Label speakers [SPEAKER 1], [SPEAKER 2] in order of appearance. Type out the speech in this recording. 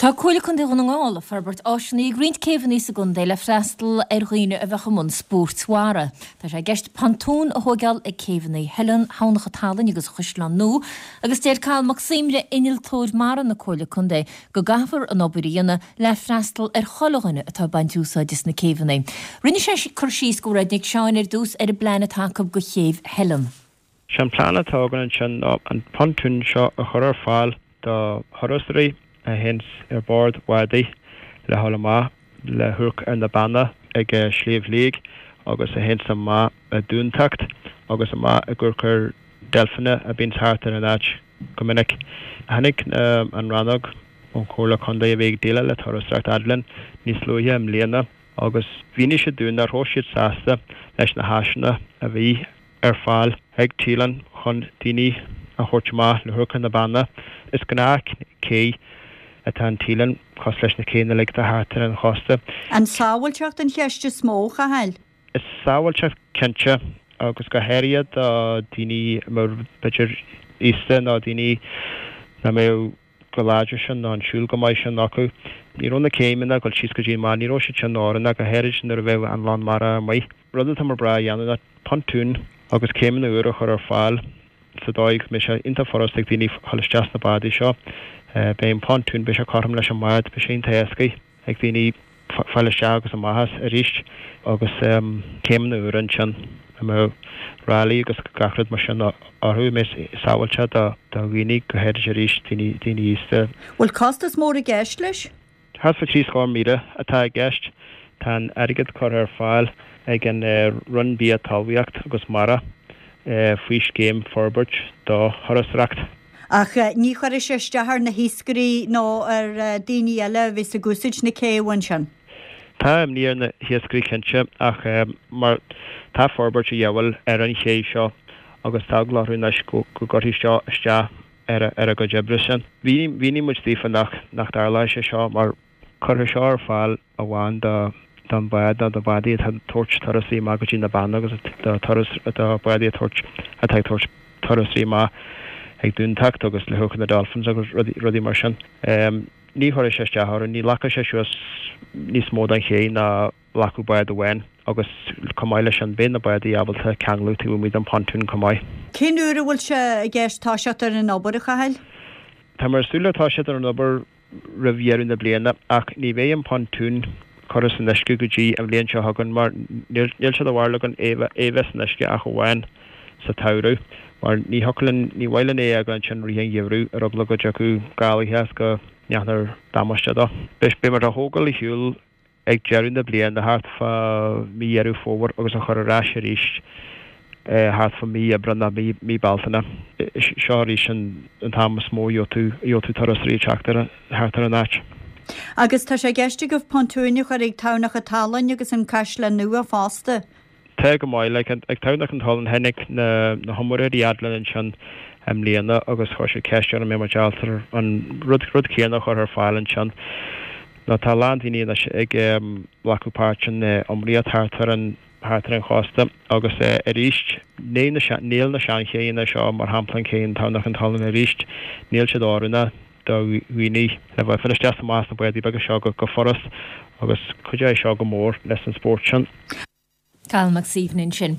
[SPEAKER 1] Tá Comhairle Contae Dhún na nGall ag forbairt áiseanna ag roinnt céibheanna sa gcontae le freastal ar dhaoine a bheadh i mbun spóirt mhara. Tá sé i gceist pontúin a thóigeáil ag céibheanna Theileann, Thamhnach an tSalainn agus Chaisleán Nua agus deir Cathal Mac Suibhne, Innealtóir Mara na Comhairle Contae, go gcaithfear an obair a dhéanamh le freastal ar chuile dhuine atá ag baint úsáid as na céibheanna. Rinne sé cur síos do Mhairéad Nic Seáin ar dtús ar an bplean atá acu do chéibh Theileann.
[SPEAKER 2] Sé an plean atá againn ansin ná an pontún seo a chur ar fáil do thurasóirí a théanns ar bord bádaí le dhul amach le hamharc ar na Beanna ag Sliabh Liag agus a théanns amach i Dúntacht agus amach ag amharc ar deilfeanna a bíonns thart ar an áit go minic. Tháinig an rannóg ón Chomhairle Contae a bhí ag déileáil le turasóireacht fhad linn níos luaithe i mbliana agus mhínigh siad dúinn nach raibh siad sásta leis na háiseanna a bhí ar fáil ag Teileann chun daoine a thabhairt amach le hamharc ar na Beanna. Is gnáth cé atá in Teileann, cosúil leis na céanna uilig atá thart ar an chósta.
[SPEAKER 3] An sábháilteacht an cheist is mó, a Chathail?
[SPEAKER 2] Is sábháilteacht cinnte, agus go háirithe do daoine a mbeadh b'fhéidir aosta nó daoine nach mbeadh chomh láidir sin nó an siúl chomh maith sin acu. Ní raibh na céimeanna ag dul síos go dtí an bád, ní raibh siad sin oiriúnach, go háirid nuair a bheadh an lán mara amuigh. Rud atá muid breá a dhéanamh ná pontún agus céimeanna úra a chur ar fáil sa dóigh go mbeidh sé iontach furasta ag daoine dhul isteach sna bádaí seo. Beidh an pontún, beidh sé cothrom leis an mbád, beidh sé iontach éascaí ag daoine fáil isteach agus amach as arís agus céimeanna úra ansin a mbeadh ráillí agus gach rud mar sin orthu a mbeidh sábháilte do dhaoine, go háirid arís daoine aosta.
[SPEAKER 3] Bhfuil costas mór i gceist leis?
[SPEAKER 2] Thart fá 73,000 atá i gceist. Tá an airgead curtha ar fáil ag an Roinn Bia Talmhaíocht agus Mara faoi scéim Forbairt do Thurasóireacht.
[SPEAKER 3] Ach ní chuirfidh sé isteach ar na hiascairí nó ar daoine eile a bheas ag úsaid na céibhe ansin.
[SPEAKER 2] Tá imní ar na hiascairí cinnte ach mar tá forbairt a dhíobháil ar an ché seo agus tá eagla orthu anois go gcuirfidh seo isteach ar a gcuid oibre sin. Mhínigh muid daofa nach dtarlóidh sé seo mar cuirfear seo ar fáil amháin don bhád nó do bhádaí atá ag tabhairt turasóirí amach go dtí na Beanna agus do turas do bhádaí atá ag tabhairt turasóirí amach ag Dúntacht agus le hamharc ar na Dolphins agus rudaí mar sin. Ní chuirfidh sé isteach orthu, ní ghlacfaidh sé suas níos mó den ché ná ghlacfadh bád amháin agus chomh maith leis sin beidh na bádaí ábalta ceanglú taobh amuigh den pontún chomh maith.
[SPEAKER 3] Cén uair a bhfuil sé i gceist toiseacht ar an obair, a Chathail?
[SPEAKER 2] Tá muid ag súil le toiseacht ar an obair roimh dheireadh na bliana ach ní bheidh an pontún curtha san uisce go dtí an bhliain seo chugainn mar níl sé de bharúil againn é a bheith san uisce ach amháin sa tsamhradh mar ní thiocfadh linn, ní mhaith linn é a fhágáil ansin i rith an gheimhridh ar eagla go dtiocfadh gálaithe is go ndéanfar damáiste dó. Beidh muid á thógáil ar shiúl ag deireadh na bliana, thart fá mí Dheireadh Fómhair agus a chur ar ais arís thart fá mí Aibreán nó mí Bealtaine. Seo arís an t-am is mó a gheobhaidh tú turasóirí ag teacht thart ar an áit.
[SPEAKER 3] Agus tá sé i gceist agaibh pontúin a chur ag Tamhnach an tSalainn agus an Caisleán Nua fosta?
[SPEAKER 2] Tá go maith. Like, ag Tamhnach an tSalainn tháinig na na hiomaitheoirí fhad linn ansin i mbliana agus chuir siad ceist orainn an mbeadh muid ábalta an rud rud céanna a chur ar fáil ansin. Nó tá a lán daoine anois ag glacadh páirt in iomaíocht thart ar an thart ar an chósta agus arís níl na níl na seanchéanna seo mar shampla an cé in Tamhnach an tSalainn arís níl siad oiriúnach do dhaoine le bheith ag fáil isteach is amach as na bádaí beaga seo go furast agus cuideoidh seo go mór leis an spórt sin.
[SPEAKER 1] Cathal Mac Suibhne ansin.